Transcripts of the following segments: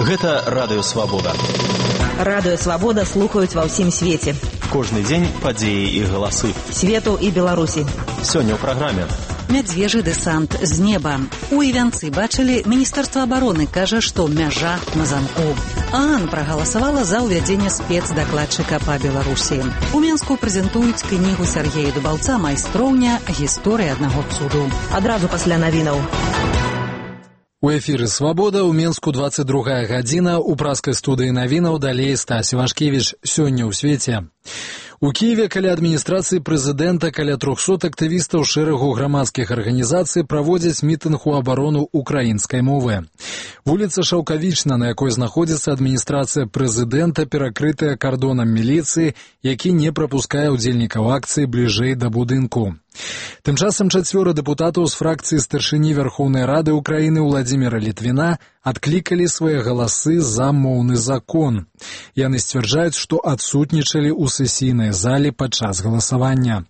Гэта Радыё Свабода. Радыё Свабода слухаюць ва ўсім свеце. Кожны дзень падзеі і галасы. Свету і Беларусі. Сёння ў праграме. Мядзвежы дэсант з неба. У Івянцы бачылі, Міністэрства абароны кажа, што мяжа на замку. ААН прагаласавала за ўвядзенне спецдакладчыка па Беларусі. У Менску прэзентуюць кнігу Сергея Дубаўца «Майстроўня. Гісторыя аднаго цуду». Адразу пасля навінаў. У эфіры «Свабода», у Менску 22 гадзіна, у праскай студыі навінаў далей Стась Івашкевіч. Сёння ў свеце. У Киеве каля адміністрацыі прэзідэнта каля 300 актывістаў шэрагу грамадскіх арганізацый праводзяць мітынг у абарону украінскай мовы. Вуліца Шаўкавічна, на якой знаходзіцца адміністрацыя прэзідэнта, перакрытая кардонам міліцыі, які не прапускае ўдзельнікаў акцыі бліжэй да будынку. Тым часам 4 дэпутатаў з фракцыі старшыні Верхоўнай Рады Украіны Владзіміра Літвіна адклікалі свае галасы за моўны закон. Яны сцвярджаюць, што адсутнічалі ў сесійнай зале падчас галасавання.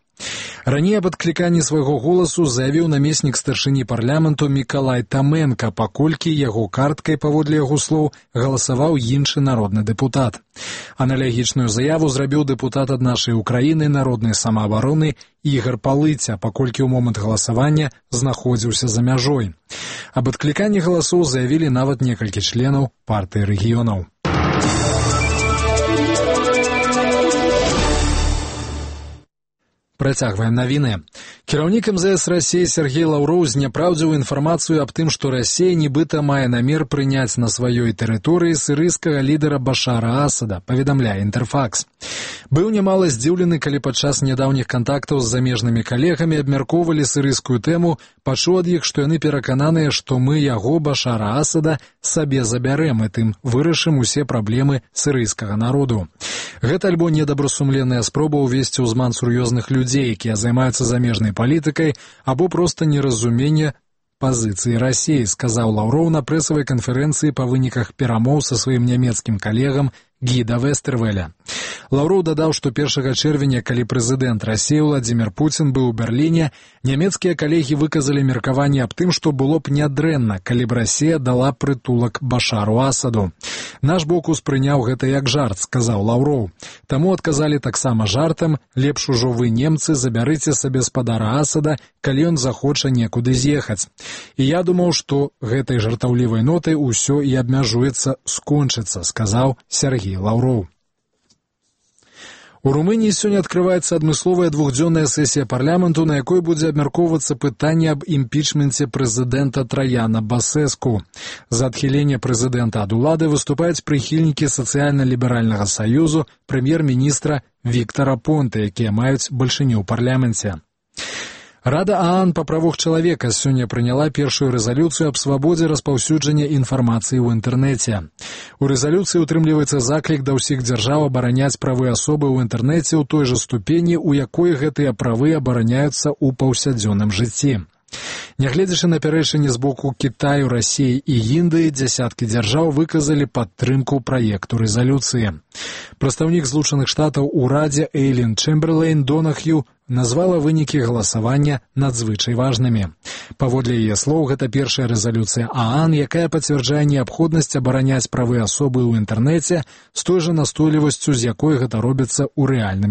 Раней аб адкліканні свайго голасу заявіў намеснік старшыні парламенту Мікалай Таменка, паколькі яго карткай, паводле яго слоў, галасаваў іншы народны дэпутат. Аналагічную заяву зрабіў дэпутат ад нашай Украіны народнай самаабароны Ігар Палыця, паколькі ў момант галасавання знаходзіўся за мяжой. Аб адкліканні галасоў заявілі нават некалькі членаў партыі рэгіёнаў. Працягваем навіны. Кіраўнік МЗС Расіі Сергей Лаўроў зняпраўдзіў інфармацыю аб тым, што Расія нібыта мае намер прыняць на сваёй тэрыторыі сірыйскага лідара Башара Асада, паведамляе Інтэрфакс. Быў нямала здзіўлены, калі падчас нядаўніх кантактаў з замежнымі калегамі абмяркоўвалі сірыйскую тэму, пачуў ад іх, што яны перакананыя, што мы яго, Башара Асада, сабе забярэм і тым вырашым усе праблемы сірыйскага народу. Гэта альбо недобрасумленная спроба ўвесці ў зман сур'ёзных людзей, якія займаюцца замежнай палітыкай, або проста неразуменне пазіцыі Расіі, сказаў Лаўроў на прэсавай канферэнцыі па выніках перамоў са сваім нямецкім калегам Гіда Вестэрвеля. Лаўроў дадаў, што 1 чэрвеня, калі прэзідэнт Расіі Владзімір Пуцін быў у Берліне, нямецкія калегі выказалі меркаванне аб тым, што было б нядрэнна, калі б Расія дала прытулак Башару Асаду. Наш бок успрыняў гэта як жарт, сказаў Лаўроў. Таму адказалі таксама жартам: лепш ужо вы, немцы, забярыце сабе спадара Асада, калі ён захоча некуды з'ехаць. І я думаў, што гэтай жартаўлівай нотай усё і абмяжуецца, скончыцца, сказаў Сергей Лаўроў. У Румыніі сёння адкрываецца адмысловая двухдзённая сесія парламенту, на якой будзе абмяркоўвацца пытанне аб імпічменце прэзідэнта Траяна Басэску. За адхіленне прэзідэнта ад улады выступаюць прыхільнікі сацыяльна-ліберальнага саюзу прэм'ер-міністра Віктара Понта, якія маюць бальшыню ў парламенце. Рада ААН па правах чалавека сёння прыняла першую рэзалюцыю аб свабодзе распаўсюджання інфармацыі ў інтэрнэце. У рэзалюцыі утрымліваецца заклік да ўсіх дзяржаў абараняць правы асобы ў інтэрнэце ў той жа ступені, у якой гэтыя правы абараняюцца ў паўсядзённым жыцці. Нягледзячы на пярэчанні з боку Кітаю, Расіі і Індыі, дзясяткі дзяржаў выказалі падтрымку праекту рэзалюцыі. Прадстаўнік Злучаных Штатаў у Радзе Эйлін Чэмберлейн Донахью назвала вынікі галасавання надзвычай важнымі. Паводле яе слоў, гэта першая рэзалюцыя ААН, якая пацвярджае неабходнасць абараняць правы асобы ў інтэрнэце з той жа настойлівасцю, з якой гэта робіцца ў рэальным